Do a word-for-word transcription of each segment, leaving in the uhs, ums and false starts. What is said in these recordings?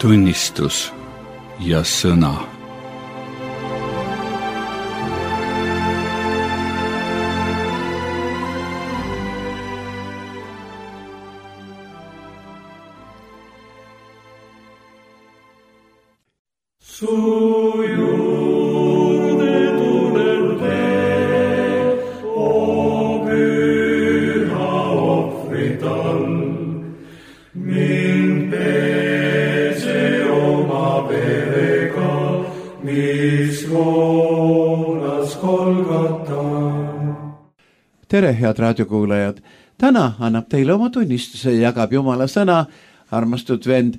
tunnistus ja sõna. Tere, head raadiokuulajad! Täna annab teile oma tunnistuse ja jagab Jumala sõna armastud vend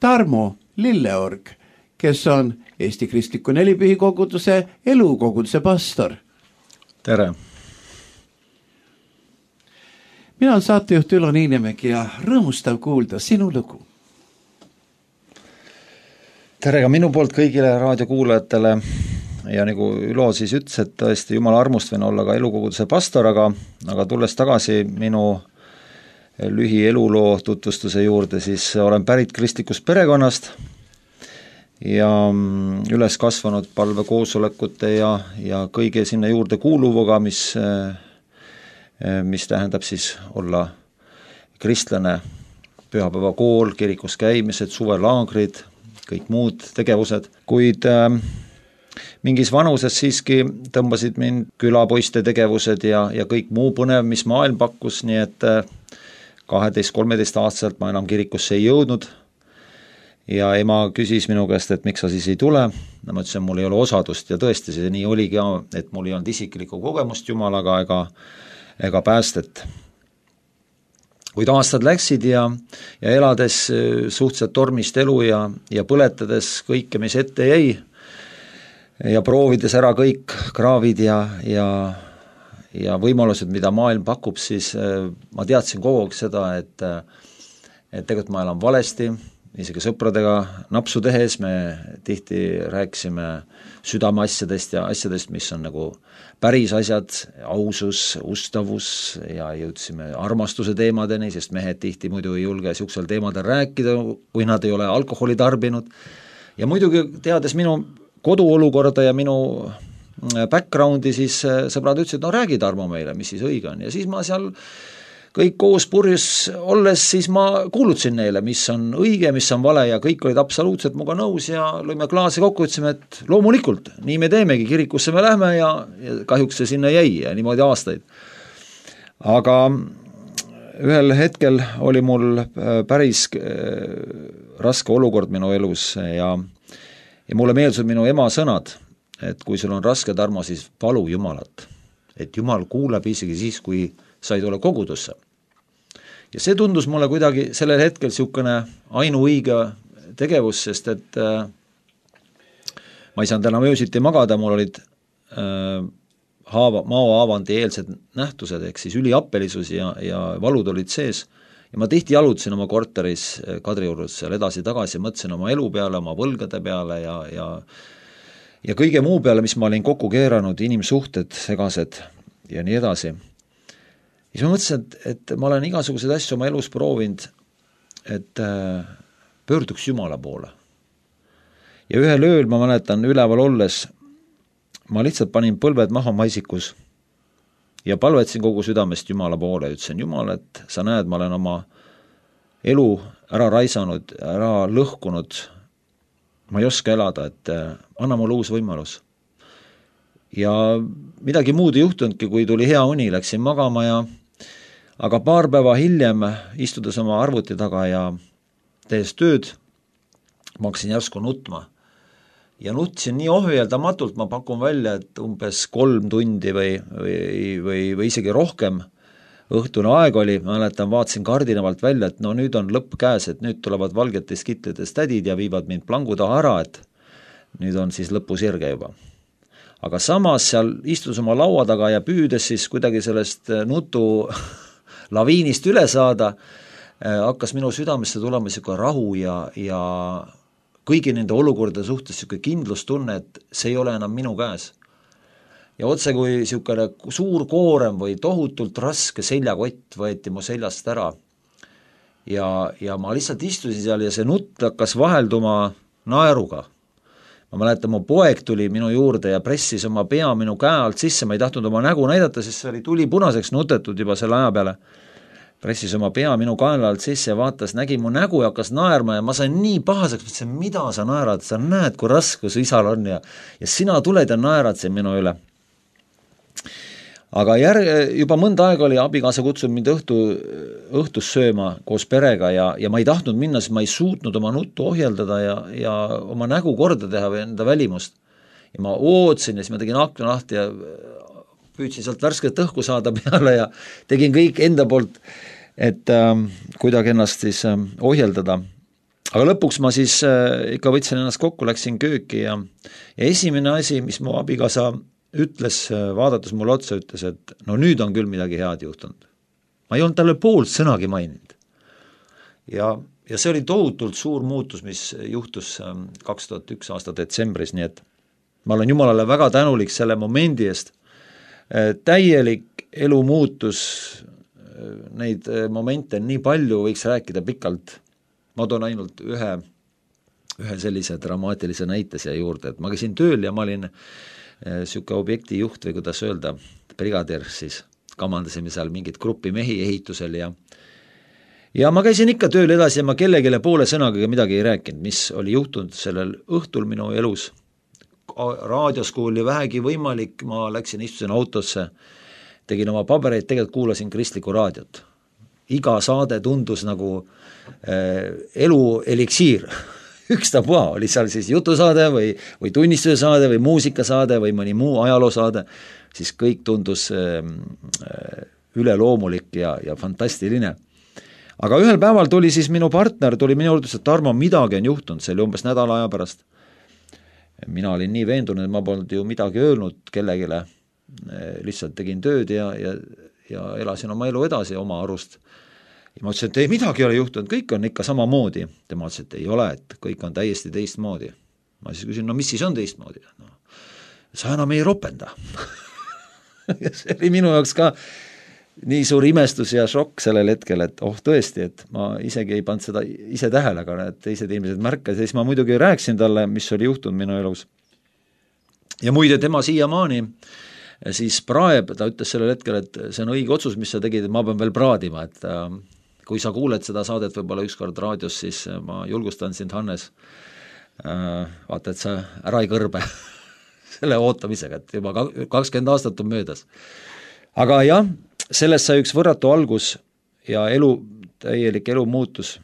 Tarmo Lilleorg, kes on Eesti Kristliku Nelipühi koguduse elukoguduse pastor. Tere! Mina olen saatejuht Ülo Niinemägi ja rõõmustav kuulda sinu lugu. Tere ka minu poolt kõigile raadiokuulajatele. Ja nagu Ülo siis ütles, et tõesti Jumala armust võin olla ka elukoguduse pastor, aga, aga tulles tagasi minu lühi eluloo tutvustuse juurde, siis olen pärit kristlikust perekonnast ja üles kasvanud palvekoosolekute ja, ja kõige sinna juurde kuuluvuga, mis, mis tähendab siis olla kristlane, pühapäevakool, kirikus käimised, suvelaagrid, kõik muud tegevused, kuid mingis vanuses siiski tõmbasid mind külapoiste tegevused ja, ja kõik muu põnev, mis maailm pakkus, nii et kaheteist-kolmeteist aastaselt ma enam kirikusse ei jõudnud ja ema küsis minu käest, et miks sa siis ei tule. Ma ütlesin, mul ei ole osadust ja tõesti see nii oligi, et mul ei olnud isiklikku kogemust Jumalaga ega, ega päästet. Kuid aastad läksid ja, ja elades suhteliselt tormist elu ja, ja põletades kõike, mis ette jäi, ja proovides ära kõik kraavid ja, ja, ja võimalused, mida maailm pakub, siis ma teadsin kogu aeg seda, et, et tegelikult ma elan valesti, isegi sõpradega napsu tehes me tihti rääkisime südameasjadest ja asjadest, mis on nagu päris asjad, ausus, ustavus ja jõudsime armastuse teemadeni, sest mehed tihti muidu ei julge siuksel teemadel rääkida, kui nad ei ole alkoholi tarbinud. Ja muidugi teades minu koduolukorda ja minu backgroundi, siis sõbrad ütlesid, no räägi Tarmo meile, mis siis õige on. Ja siis ma seal kõik koos purjus olles, siis ma kuulutasin neile, mis on õige, mis on vale ja kõik olid absoluutselt muga nõus ja lõime klaasi kokku, ütlesime, et loomulikult, nii me teemegi, kirikusse me lähme ja, ja kahjuks see sinna jäi ja niimoodi aastaid. Aga ühel hetkel oli mul päris raske olukord minu elus ja Ja mulle meeldisid minu ema sõnad, et kui sul on raske, Tarmo, siis palu Jumalat. Et Jumal kuuleb isegi siis, kui sa ei tule kogudusse. Ja see tundus mulle kuidagi sellel hetkel siukene ainuõige tegevus, sest et äh, ma ei saanud enam öösiti magada, mul olid äh, haava, maohaavandi eelsed nähtused, ehk siis üliappelisus ja, ja valud olid sees. Ja ma tihti jalutasin oma korteris Kadriorus seal edasi-tagasi, mõtlesin oma elu peale, oma võlgade peale ja, ja, ja kõige muu peale, mis ma olin kokku keeranud, inimsuhted, segased ja nii edasi. Ja siis ma mõtlesin, et, et ma olen igasuguseid asju oma elus proovinud, et äh, pöörduks Jumala poole. Ja ühel ööl, ma mäletan, üleval olles, ma lihtsalt panin põlved maha maisikus ja palvetsin kogu südamest Jumala poole ja ütlesin, Jumal, et sa näed, ma olen oma elu ära raisanud, ära lõhkunud, ma ei oska elada, et anna mulle uus võimalus. Ja midagi muud ei juhtunudki, kui tuli hea uni, läksin magama ja aga paar päeva hiljem, istudes oma arvuti taga ja tehes tööd, ma hakkasin järsku nutma. Ja nutsin nii ohjeldamatult, ma pakun välja, et umbes kolm tundi või, või, või, või isegi rohkem õhtune aeg oli, ma mäletan, vaatasin kardinavalt välja, et no nüüd on lõpp käes, et nüüd tulevad valgetes kitlides tädid ja viivad mind plangu taha ära, et nüüd on siis lõpusirge juba. Aga samas seal istus oma laua taga ja püüdes siis kuidagi sellest nutu laviinist üle saada, hakkas minu südamesse tulema siuke rahu ja, ja kõigi nende olukordade suhtes siuke kindlustunne, et see ei ole enam minu käes. Ja otse kui siukene suur koorem või tohutult raske seljakott võeti mu seljast ära. ja, ja ma lihtsalt istusin seal ja see nutt hakkas vahelduma naeruga. ma mäletan, mu poeg tuli minu juurde ja pressis oma pea minu käe alt sisse, ma ei tahtnud oma nägu näidata, sest see oli tuli punaseks nutetud juba selle aja peale. Pressis oma pea minu kaela alt sisse ja vaatas, nägi mu nägu ja hakkas naerma ja ma sain nii pahaseks, mõtlesin, mida sa naerad, sa näed, kui raske su isal on ja, ja sina tuled ja naerad siin minu üle. Aga järg, juba mõnda aega oli abikaasa kutsunud mind õhtu, õhtus sööma koos perega ja, ja ma ei tahtnud minna, sest ma ei suutnud oma nuttu ohjeldada ja, ja oma nägu korda teha või enda välimust. Ja ma ootsin ja siis ma tegin akna lahti ja püüdsin sealt värsket õhku saada peale ja tegin kõik enda poolt, et ähm, kuidagi ennast siis ähm, ohjeldada. Aga lõpuks ma siis äh, ikka võtsin ennast kokku, läksin kööki ja, ja esimene asi, mis mu abikaasa ütles, vaadates mulle otsa, ütles, et no nüüd on küll midagi head juhtunud. Ma ei olnud talle poolt sõnagi maininud. Ja, ja see oli tohutult suur muutus, mis juhtus kaks tuhat üks aasta detsembris, nii et ma olen Jumalale väga tänulik selle momendi eest. Täielik elu muutus, neid momente nii palju, võiks rääkida pikalt. Ma toon ainult ühe, ühe sellise dramaatilise näite siia juurde, et ma käisin tööl ja ma olin siuke objekti juht või kuidas öelda, brigadir, siis kamandasime seal mingit gruppi mehi ehitusel ja ja ma käisin ikka tööl edasi ja ma kellegile poole sõnaga midagi ei rääkinud, mis oli juhtunud sellel õhtul minu elus. Raadios, kui oli vähegi võimalik, ma läksin, istusin autosse, tegin oma pabereid, tegelikult kuulasin kristlikku raadiot. Iga saade tundus nagu äh, elu eliksiir. Ükstapuha, oli seal siis jutusaade või, või tunnistuse saade või muusikasaade või mõni muu ajaloosaade, siis kõik tundus äh, üleloomulik ja, ja fantastiline. Aga ühel päeval tuli siis minu partner, tuli minu juurde, et Tarmo, midagi on juhtunud, see oli umbes nädala aja pärast. Mina olin nii veendunud, et ma polnud ju midagi öelnud kellegile, lihtsalt tegin tööd ja, ja, ja elasin oma elu edasi oma arust. Ja ma ütlesin, et ei, midagi ei ole juhtunud, kõik on ikka sama moodi. Tema ütles, et ei ole, et kõik on täiesti teistmoodi. Ma siis küsin, no mis siis on teistmoodi? No, sa enam ei ropenda. Ja see oli minu jaoks ka nii suur imestus ja šokk sellel hetkel, et oh tõesti, et ma isegi ei pannud seda ise tähele, aga need teised inimesed märkas ja siis ma muidugi rääkisin talle, mis oli juhtunud minu elus. Ja muide, tema siiamaani siis praeb, ta ütles sellel hetkel, et see on õige otsus, mis sa tegid, et ma pean veel praadima, et äh, kui sa kuuled seda saadet võib-olla ükskord raadios, siis ma julgustan sind, Hannes, äh, vaata, et sa ära ei kõrbe selle ootamisega, et juba kakskümmend aastat on möödas. Aga jah, sellest sai üks võrratu algus ja elu, täielik elu muutus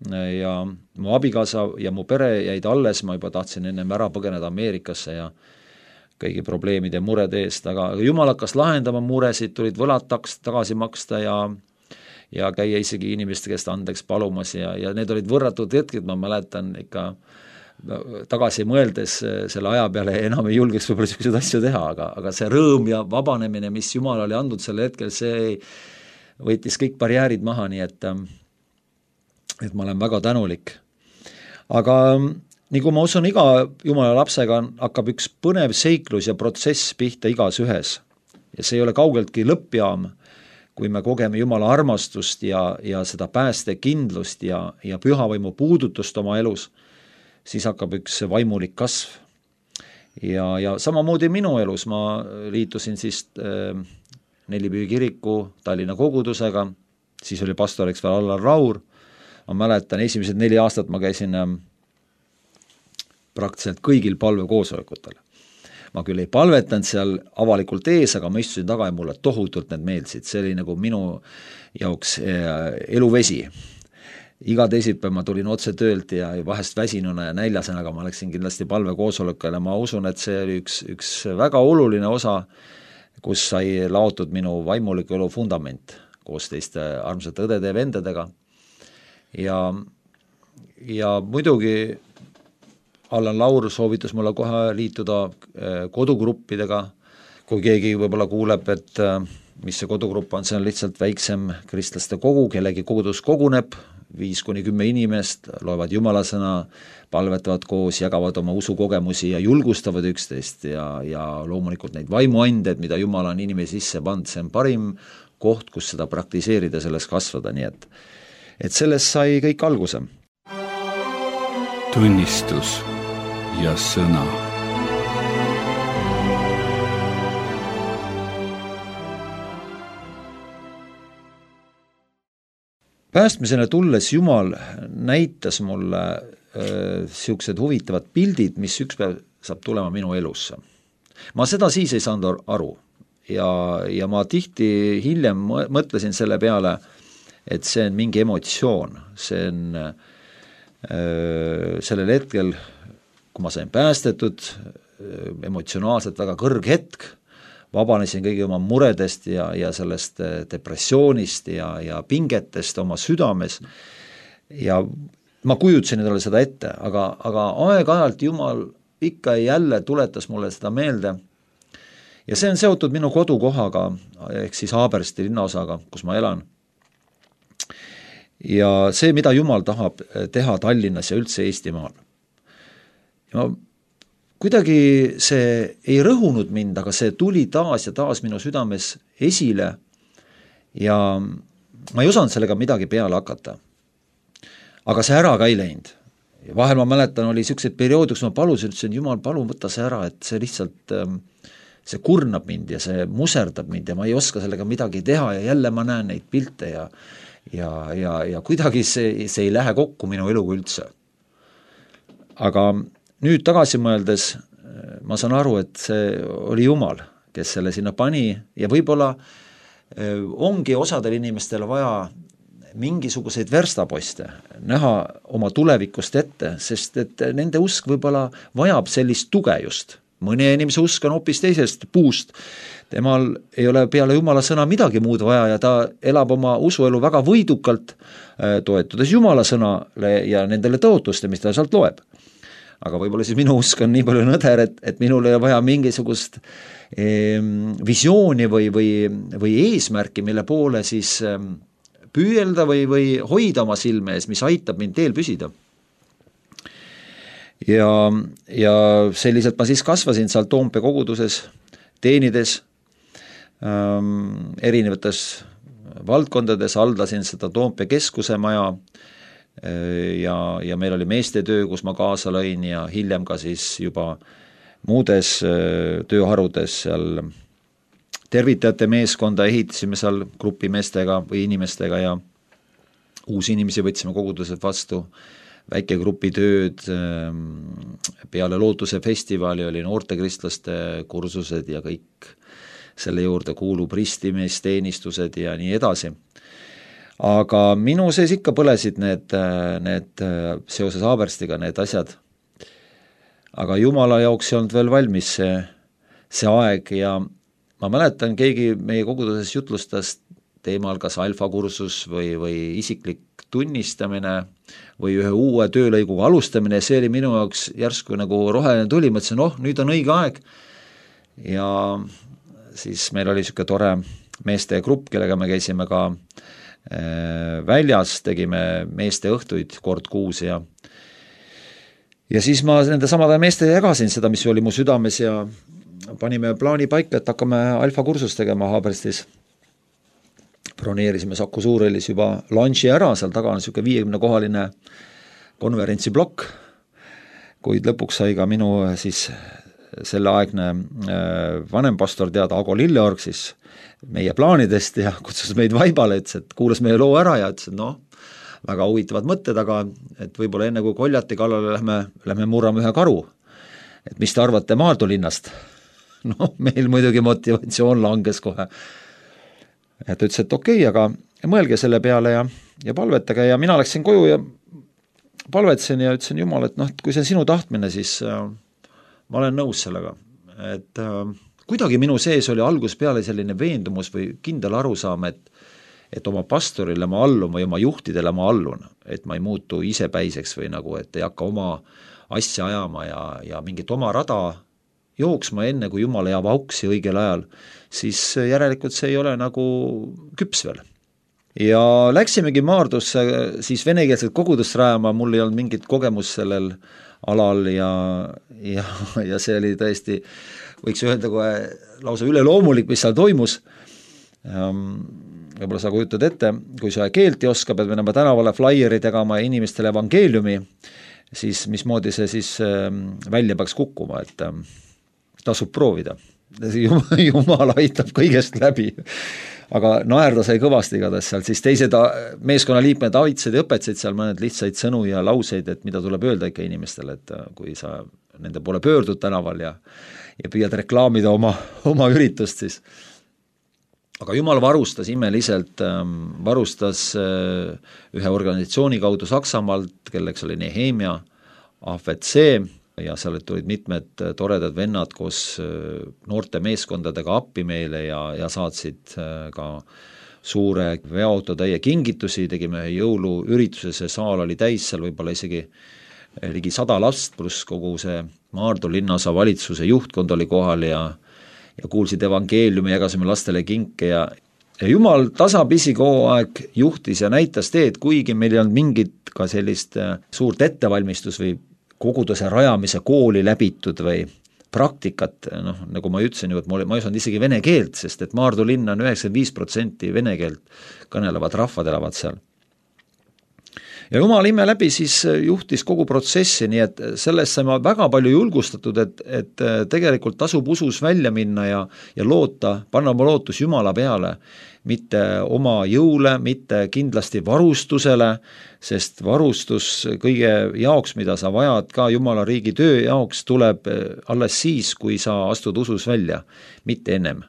ja mu abikaasa ja mu pere jäid alles, ma juba tahtsin ennem ära põgeneda Ameerikasse ja kõigi probleemide ja murede eest, aga Jumal hakkas lahendama muresid, tulid võlad taks, tagasi maksta ja, ja käia isegi inimeste käest andeks palumas ja, ja need olid võrratud hetked, ma mäletan ikka tagasi mõeldes selle aja peale enam ei julgeks võib-olla selliseid asju teha, aga, aga see rõõm ja vabanemine, mis Jumal oli andnud selle hetkel, see võitis kõik barjäärid maha, nii et, et ma olen väga tänulik. Aga nii kui ma usun, iga Jumala lapsega hakkab üks põnev seiklus ja protsess pihta igas ühes. Ja see ei ole kaugeltki lõppjaam, kui me kogeme Jumala armastust ja, ja seda päästekindlust ja, ja pühavaimu puudutust oma elus, siis hakkab üks vaimulik kasv. Ja, ja samamoodi minu elus ma liitusin siis äh, Nelipüü kiriku Tallinna kogudusega, siis oli pastoriks veel Allar Raur, ma mäletan, esimesed neli aastat ma käisin äh, praktiliselt kõigil palvekoosolekutel. Ma küll ei palvetanud seal avalikult ees, aga ma istusin taga ja mulle tohutult need meeldisid. See oli nagu minu jaoks eluvesi. Iga teisipäev ma tulin otse töölt ja vahest väsinuna ja näljasena, aga ma läksin kindlasti palvekoosolekule. Ma usun, et see oli üks, üks väga oluline osa, kus sai laotud minu vaimuliku elu fundament koos teiste armsate õdede ja vendadega. Ja, ja muidugi Allan Laur soovitas mulle kohe liituda kodugruppidega, kui keegi võib-olla kuuleb, et mis see kodugrupp on, see on lihtsalt väiksem kristlaste kogu, kellegi kogudus koguneb, viis kuni kümme inimest, loevad jumalasõna, palvetavad koos, jagavad oma usukogemusi ja julgustavad üksteist ja, ja loomulikult neid vaimuanded, mida Jumal on inimesi sisse pannud, see on parim koht, kus seda praktiseerida, selles kasvada, nii et et sellest sai kõik alguse. Tunnistus ja sõna. Päästmisele tulles Jumal näitas mulle äh, siuksed huvitavad pildid, mis üks päev saab tulema minu elusse. Ma seda siis ei saanud aru ja, ja ma tihti hiljem mõtlesin selle peale, et see on mingi emotsioon, see on äh, sellel hetkel, kui ma sain päästetud, emotsionaalselt väga kõrg hetk, vabanesin kõigi oma muredest ja, ja sellest depressioonist ja, ja pingetest oma südames ja ma kujutasin endale seda ette, aga, aga aeg-ajalt Jumal ikka ja jälle tuletas mulle seda meelde ja see on seotud minu kodukohaga, ehk siis Haabersti linnaosaga, kus ma elan. Ja see, mida Jumal tahab teha Tallinnas ja üldse Eestimaal. Ja ma kuidagi see ei rõhunud mind, aga see tuli taas ja taas minu südames esile ja ma ei osanud sellega midagi peale hakata. Aga see ära ka ei läinud. Ja vahel ma mäletan, oli sellised periood, kus ma palusin, ütlesin, Jumal, palun võtta see ära, et see lihtsalt, see kurnab mind ja see muserdab mind ja ma ei oska sellega midagi teha ja jälle ma näen neid pilte ja, ja, ja, ja kuidagi see, see ei lähe kokku minu eluga üldse. Aga nüüd tagasi mõeldes ma saan aru, et see oli Jumal, kes selle sinna pani ja võib-olla ongi osadel inimestel vaja mingisuguseid verstaposte näha oma tulevikust ette, sest et nende usk võib-olla vajab sellist tuge just. Mõne inimese usk on hoopis teisest puust. Temal ei ole peale Jumala sõna midagi muud vaja ja ta elab oma usuelu väga võidukalt, toetudes Jumala sõnale ja nendele tõotuste, mis ta sealt loeb. Aga võib-olla siis minu usk on nii palju nõder, et, et minul ei vaja mingisugust eh, visiooni või, või, või eesmärki, mille poole siis eh, püüelda või, või hoida oma silme ees, mis aitab mind teel püsida. Ja, ja selliselt ma siis kasvasin seal Toompea koguduses, teenides ähm, erinevates valdkondades, haldasin seda Toompea keskuse maja, ja, ja meil oli meestetöö, kus ma kaasa lõin ja hiljem ka siis juba muudes tööharudes seal tervitajate meeskonda ehitasime seal grupimeestega või inimestega ja uusi inimesi võtsime koguduselt vastu, väikegrupi tööd, peale Lootuse festivali oli noortekristlaste kursused ja kõik selle juurde kuulub ristimisteenistused ja nii edasi. Aga minu sees ikka põlesid need, need seoses Haaberstiga need asjad. Aga Jumala jaoks ei olnud veel valmis see, see aeg ja ma mäletan, keegi meie koguduses jutlustas teemal kas alfakursus või, või isiklik tunnistamine või ühe uue töölõiguga alustamine ja see oli minu jaoks järsku nagu roheline tuli, mõtlesin, oh, nüüd on õige aeg. Ja siis meil oli selline tore meeste grupp, kellega me käisime ka väljas, tegime meeste õhtuid kord kuus ja ja siis ma nende samade meeste jagasin seda, mis oli mu südames ja panime plaani paika, et hakkame alfa kursust tegema Haaberstis. Broneerisime Saku Suurhallis juba lunchi ära, seal taga on selline viiekümne kohaline konverentsiblokk, kuid lõpuks sai ka minu siis selleaegne vanempastor teada Ago Lilleorg siis meie plaanidest ja kutsus meid vaibale, ütles, et kuulas meie loo ära ja ütles, et noh, väga huvitavad mõtted, aga et võib-olla enne kui koljati kallale lähme, lähme murrame ühe karu. Et mis te arvate Maardu linnast? noh, meil muidugi motivatsioon langes kohe. Et ütles, et okei, okay, aga mõelge selle peale ja, ja palvetage ja mina läksin koju ja palvetsen ja ütlesin Jumal, et noh, kui see on sinu tahtmine, siis äh, ma olen nõus sellega. Et äh, kuidagi minu sees oli algus peale selline veendumus või kindel arusaam, et, et oma pastorile ma allun või oma juhtidele ma allun, et ma ei muutu isepäiseks või nagu, et ei hakka oma asja ajama ja, ja mingit oma rada jooksma enne, kui Jumal jääb auksi õigel ajal, siis järelikult see ei ole nagu küps veel. Ja läksimegi Maardusse siis venekeelset kogudust rajama, mul ei olnud mingit kogemus sellel alal ja, ja, ja see oli tõesti võiks öelda kohe lausa üleloomulik, mis seal toimus. võib-olla sa kujutad ette, kui sa keelt ei oska, pead minema tänavale flaieri tegema inimestele evangeeliumi, siis mismoodi see siis välja peaks kukkuma, et tasub proovida. Jumal aitab kõigest läbi. Aga naerda sai kõvasti igatahes seal, siis teised meeskonnaliikmed aitasid ja õpetasid seal mõned lihtsaid sõnu ja lauseid, et mida tuleb öelda ikka inimestele, et kui sa nende poole pöördud tänaval ja, ja püüad reklaamida oma, oma üritust, siis aga Jumal varustas imeliselt, varustas ühe organisatsiooni kaudu Saksamaalt, kelleks oli Nehemia, A F C, ja seal tulid mitmed toredad vennad koos noorte meeskondadega appi meile ja, ja saatsid ka suure veoautotäie kingitusi, tegime jõuluürituse, see saal oli täis, seal võib-olla isegi ligi sada last, pluss kogu see Maardu linnaosa valitsuse juhtkond oli kohal ja ja kuulsid evangeeliumi, jagasime lastele kinke ja, ja Jumal tasapisi kogu aeg juhtis ja näitas teed, kuigi meil ei olnud mingit ka sellist suurt ettevalmistus või koguduse rajamise kooli läbitud või praktikat, noh, nagu ma ütlesin ju, et ma ei osanud isegi vene keelt, sest et Maardu linna on üheksakümmend viis protsenti vene keelt kõnelevad rahvad elavad seal. Ja Jumal ime läbi siis juhtis kogu protsessi, nii et sellest saime väga palju julgustatud, et, et tegelikult tasub usus välja minna ja, ja loota, panna oma lootus Jumala peale, mitte oma jõule, mitte kindlasti varustusele, sest varustus kõige jaoks, mida sa vajad ka Jumala riigi töö jaoks, tuleb alles siis, kui sa astud usus välja, mitte ennem.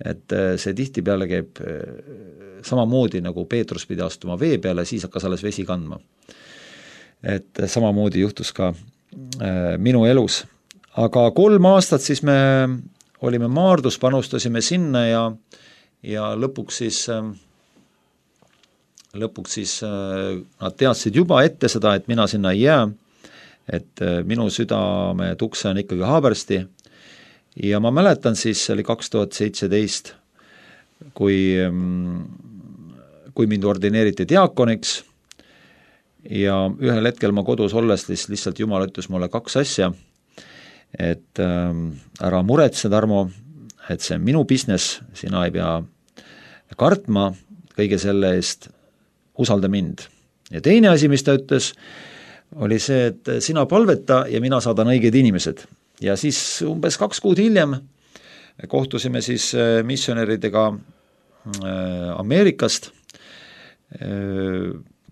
Et see tihti peale käib samamoodi, nagu Peetrus pidi astuma vee peale, siis hakkas alles vesi kandma. Et samamoodi juhtus ka minu elus. Aga kolm aastat siis me olime Maardus, panustasime sinna ja, ja lõpuks siis, lõpuks siis nad teadsid juba ette seda, et mina sinna ei jää, et minu südame tukse on ikkagi Haabersti. Ja ma mäletan siis, see oli kaks tuhat seitseteist, kui, kui mind ordineeriti diakoniks ja ühel hetkel ma kodus olles lihtsalt Jumal ütles mulle kaks asja, et ära muretse, Tarmo, et see on minu business, sina ei pea kartma kõige selle eest, usalda mind. Ja teine asi, mis ta ütles, oli see, et sina palveta ja mina saadan õiged inimesed. Ja siis umbes kaks kuud hiljem kohtusime siis missionäridega Ameerikast,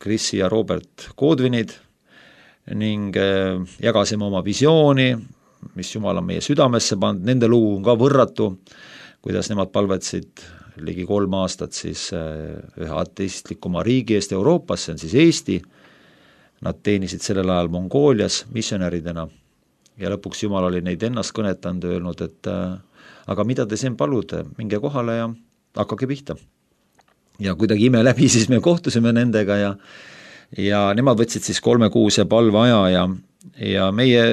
Chrisi ja Robert Godwinid, ning jagasime oma visiooni, mis Jumal on meie südamesse pannud, nende lugu on ka võrratu, kuidas nemad palvetsid ligi kolm aastat siis ühe ateistlikuma riigi eest Euroopas, see on siis Eesti, nad teenisid sellel ajal Mongoolias missionäridena. Ja lõpuks Jumal oli neid ennast kõnetanud, öelnud, et aga mida te siin palude, minge kohale ja hakkage pihta. Ja kuidagi ime läbi, siis me kohtusime nendega ja, ja nemad võtsid siis kolmekuuse palveaja ja, ja meie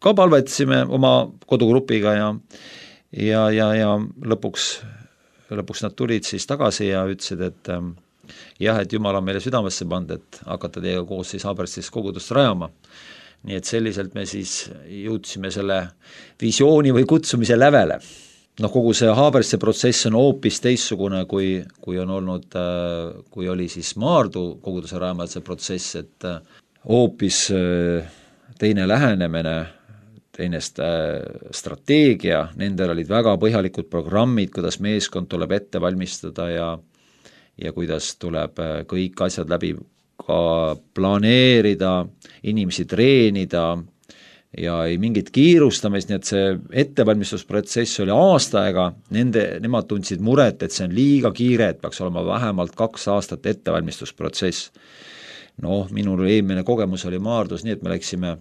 ka palvetasime oma kodugrupiga ja, ja, ja, ja lõpuks, lõpuks nad tulid siis tagasi ja ütlesid, et jah, et Jumal on meile südamesse pannud, et hakata teiega koos siis Haaberstis kogudust rajama. Nii et selliselt me siis jõudsime selle visiooni või kutsumise lävele. No kogu see Haabersti protsess on hoopis teissugune, kui, kui on olnud, kui oli siis Maardu koguduse rajamise protsess, et hoopis teine lähenemine, teine strateegia, nendel olid väga põhjalikud programmid, kuidas meeskond tuleb ette valmistada ja, ja kuidas tuleb kõik asjad läbi ka planeerida, inimesi treenida ja ei mingit kiirustamist, nii et see ettevalmistusprotsess oli aasta aega, nende, nemad tundsid muret, et see on liiga kiire, et peaks olema vähemalt kaks aastat ettevalmistusprotsess. Noh, minul eelmine kogemus oli Maardus nii, et me läksime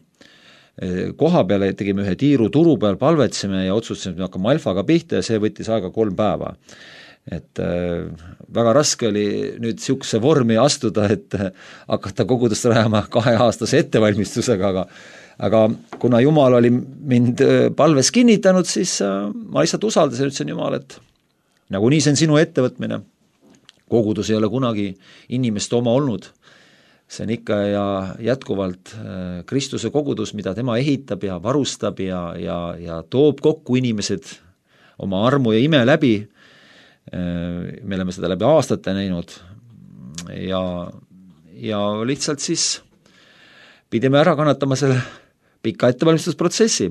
koha peale, tegime ühe tiiru turu peal, palvetsime ja otsustasime, et me hakkame alfaga pihta ja see võttis aega kolm päeva. Et äh, väga raske oli nüüd siukse vormi astuda, et äh, hakata kogudust rajama kaheaastase ettevalmistusega, aga, aga kuna Jumal oli mind äh, palves kinnitanud, siis äh, ma lihtsalt usaldasin, ütlesin Jumal, et nagu nii see on sinu ettevõtmine. Kogudus ei ole kunagi inimeste oma olnud. See on ikka ja jätkuvalt äh, Kristuse kogudus, mida tema ehitab ja varustab ja, ja, ja toob kokku inimesed oma armu ja ime läbi. me oleme seda läbi aastate näinud ja, ja lihtsalt siis pidime ära kannatama selle pika ettevalmistusprotsessi.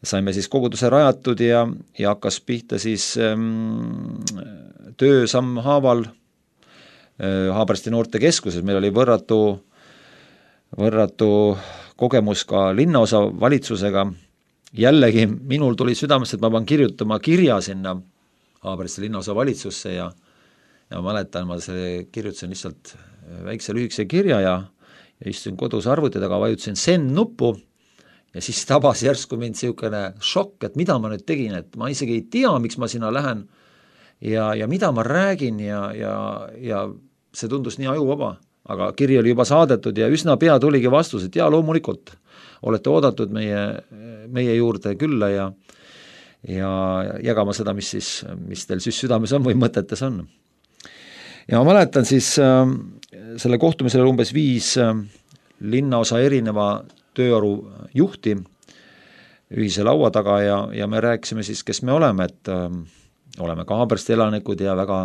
Saime siis koguduse rajatud ja, ja hakkas pihta siis ähm, töö sammhaaval äh, Haabersti noortekeskuses. Meil oli võrratu, võrratu kogemus ka linnaosa valitsusega. Jällegi minul tuli südamest, et ma pean kirjutama kirja sinna Haabersti linnaosa valitsusse ja, ja ma mäletan, ma see kirjutasin lihtsalt väikse lühikese kirja ja, ja istuin kodus arvuti taga, vajutasin send nuppu ja siis tabas järsku mind niisugune šokk, et mida ma nüüd tegin, et ma isegi ei tea, miks ma sinna lähen ja, ja mida ma räägin ja, ja, ja see tundus nii ajuvaba, aga kiri oli juba saadetud ja üsna pea tuligi vastus, et jaa, loomulikult olete oodatud meie, meie juurde külla ja, ja jagama seda, mis siis, mis teil siis südames on või mõtetes on. Ja ma mäletan siis äh, selle kohtumisele umbes viis äh, linnaosa erineva tööaru juhti ühise laua taga ja, ja me rääkisime siis, kes me oleme, et äh, oleme ka Haabersti elanikud ja väga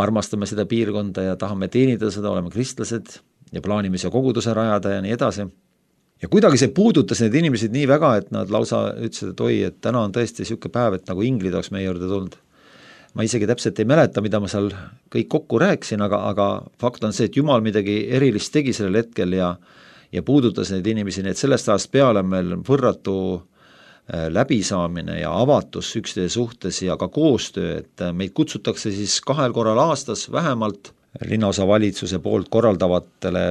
armastame seda piirkonda ja tahame teenida seda, oleme kristlased ja plaanime siia koguduse rajada ja nii edasi. Ja kuidagi see puudutas need inimesed nii väga, et nad lausa ütlesid, et oi, et täna on tõesti niisugune päev, et nagu inglid oleks meie juurde tulnud. Ma isegi täpselt ei mäleta, mida ma seal kõik kokku rääkisin, aga, aga fakt on see, et Jumal midagi erilist tegi sellel hetkel ja ja puudutas neid inimesi, nii et sellest ajast peale meil võrratu läbisaamine ja avatus üksteise suhtes ja ka koostöö, et meid kutsutakse siis kahel korral aastas vähemalt linnaosa valitsuse poolt korraldavatele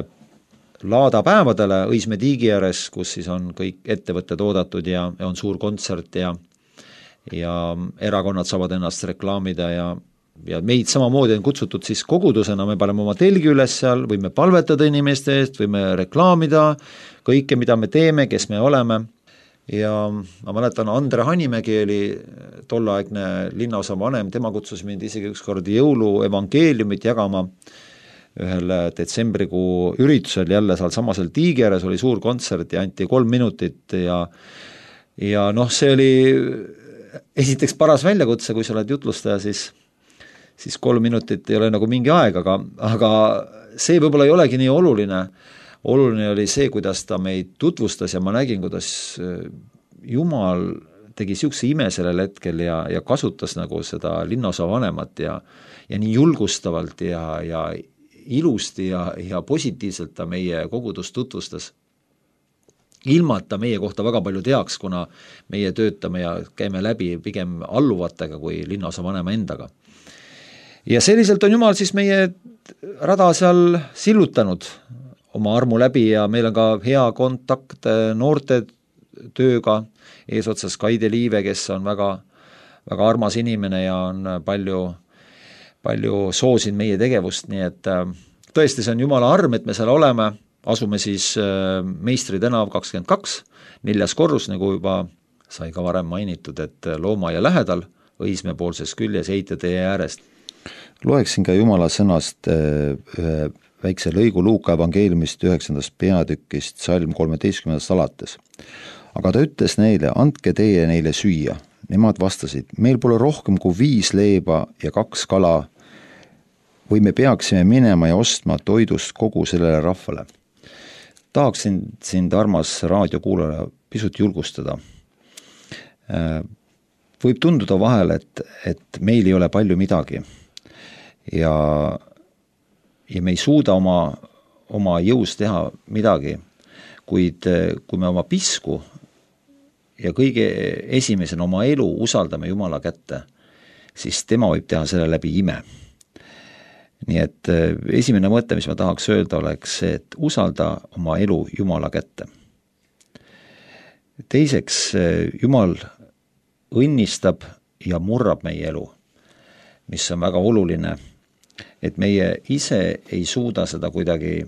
laadapäevadele Õismäe tiigi ääres, kus siis on kõik ettevõtted oodatud ja, ja on suur kontsert ja, ja erakonnad saavad ennast reklaamida ja ja meid samamoodi on kutsutud siis kogudusena, me paneme oma telgi üles seal, võime palvetada inimeste eest, võime reklaamida kõike, mida me teeme, kes me oleme ja ma mäletan, Andre Hanimägi oli tolleaegne linnaosa vanem, tema kutsus mind isegi ükskord jõulu evangeeliumit jagama ühel detsembrikuu üritusel jälle seal samasel tiigi ääres oli suur kontsert ja anti kolm minutit ja ja noh, see oli esiteks paras väljakutse, kui sa oled jutlustaja, siis siis kolm minutit ei ole nagu mingi aeg, aga, aga see võib-olla ei olegi nii oluline. Oluline oli see, kuidas ta meid tutvustas ja ma nägin, kuidas Jumal tegi niisuguse ime sellel hetkel ja, ja kasutas nagu seda linnaosa vanemat ja, ja nii julgustavalt ja, ja ilusti ja, ja positiivselt ta meie kogudust tutvustas. Ilma, et ta meie kohta väga palju teaks, kuna meie töötame ja käime läbi pigem alluvatega kui linnaosa vanema endaga. Ja selliselt on Jumal siis meie rada seal sillutanud oma armu läbi ja meil on ka hea kontakt noorte tööga, eesotsas Kaide Liive, kes on väga, väga armas inimene ja on palju, palju soosinud meie tegevust, nii et tõesti see on Jumala arm, et me seal oleme, asume siis Meistri tänav kakskümmend kaks, neljas korrus, nagu juba sai ka varem mainitud, et Loomaia lähedal, Õismäe poolses küljes Eitjatee äärest. Loeksin ka Jumala sõnast ühe väikse lõigu Luuka evangeeliumist üheksandast peatükist salm kolmeteistkümnendast alates. Aga ta ütles neile, andke teie neile süüa. Nemad vastasid, meil pole rohkem kui viis leiba ja kaks kala, või me peaksime minema ja ostma toidust kogu sellele rahvale. Tahaksin sind, armas raadiokuulaja, pisut julgustada. Võib tunduda vahel, et, et meil ei ole palju midagi. Ja, ja me ei suuda oma, oma jõus teha midagi, kuid kui me oma pisku ja kõige esimesena oma elu usaldame Jumala kätte, siis tema võib teha selle läbi ime. Nii et esimene mõte, mis ma tahaks öelda, oleks see, et usalda oma elu Jumala kätte. Teiseks, Jumal õnnistab ja murrab meie elu, mis on väga oluline, et meie ise ei suuda seda kuidagi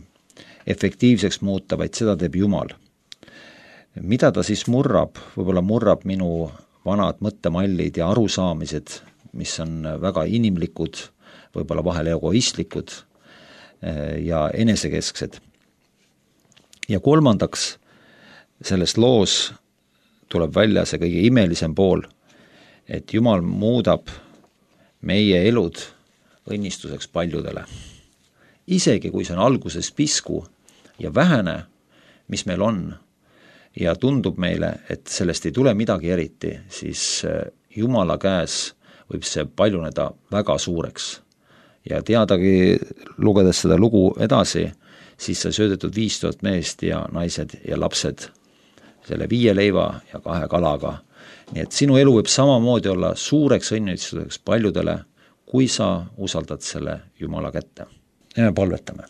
efektiivseks muuta, vaid seda teeb Jumal. Mida ta siis murrab? Võib-olla murrab minu vanad mõttemallid ja arusaamised, mis on väga inimlikud, võib-olla vahel egoistlikud ja enesekesksed. Ja kolmandaks, selles loos tuleb välja see kõige imelisem pool, et Jumal muudab meie elud õnnistuseks paljudele. Isegi kui see on alguses pisku ja vähene, mis meil on, ja tundub meile, et sellest ei tule midagi eriti, siis Jumala käes võib see paljuneda väga suureks. Ja teadagi, lugedes seda lugu edasi, siis sai söödetud viis tuhat meest ja naised ja lapsed selle viie leiva ja kahe kalaga. Nii et sinu elu võib samamoodi olla suureks õnnistuseks paljudele, kui sa usaldad selle Jumala kätte. Ja me palvetame.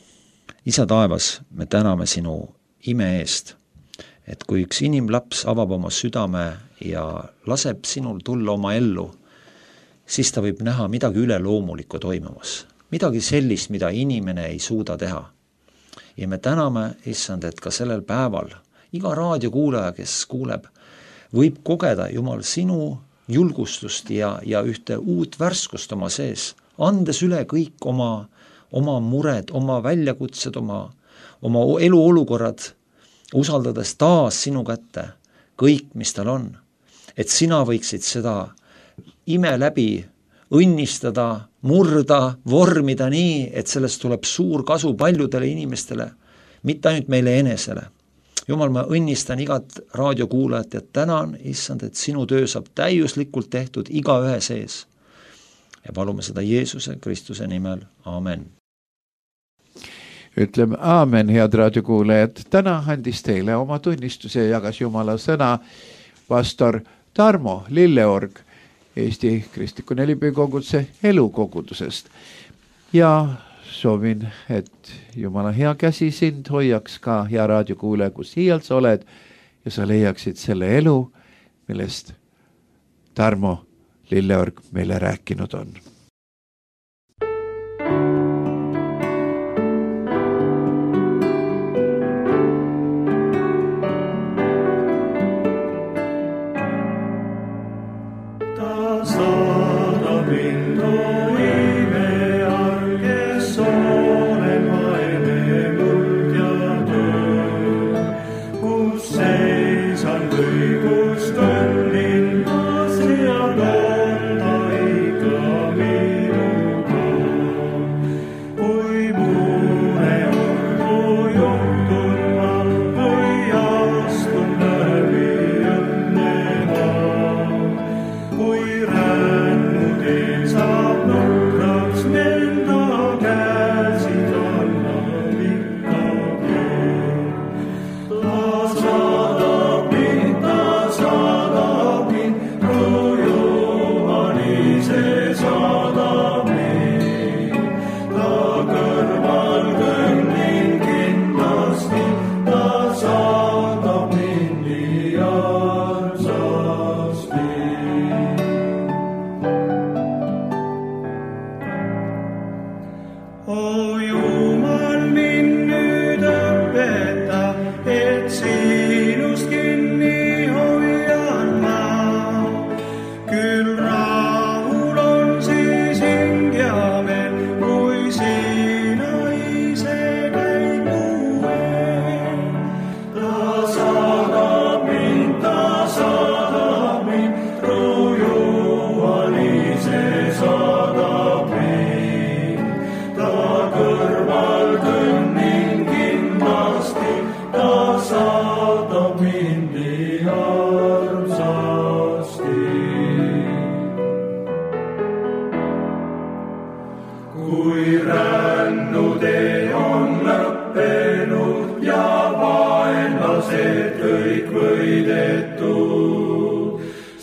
Isa taevas, me täname sinu ime eest, et kui üks inimlaps avab oma südame ja laseb sinul tulla oma ellu, siis ta võib näha midagi üleloomulikku toimumas, midagi sellist, mida inimene ei suuda teha. Ja me täname, issand, et ka sellel päeval iga raadiokuulaja, kes kuuleb, võib kogeda, Jumal, sinu julgustust ja, ja ühte uut värskust oma sees, andes üle kõik oma, oma mured, oma väljakutsed, oma, oma eluolukorrad, usaldades taas sinu kätte kõik, mis tal on. Et sina võiksid seda ime läbi õnnistada, murda, vormida nii, et sellest tuleb suur kasu paljudele inimestele, mitte ainult meile enesele. Jumal, ma õnnistan igat raadiokuulajat ja tänan, issand, et sinu töö saab täiuslikult tehtud iga ühe sees. Ja palume seda Jeesuse Kristuse nimel. Amen. Ütleme aamen, head raadiokuulajad. Täna andis teile oma tunnistuse ja jagas Jumala sõna pastor Tarmo Lilleorg Eesti Kristliku Nelipüükoguduse elukogudusest. Ja soovin, et Jumala hea käsi sind hoiaks ka, hea raadiokuulaja, kus hiial sa oled ja sa leiaksid selle elu, millest Tarmo Lilleorg meile rääkinud on.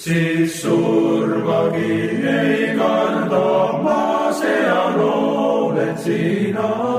Siis surmagi ei karda, ma seal oled sina.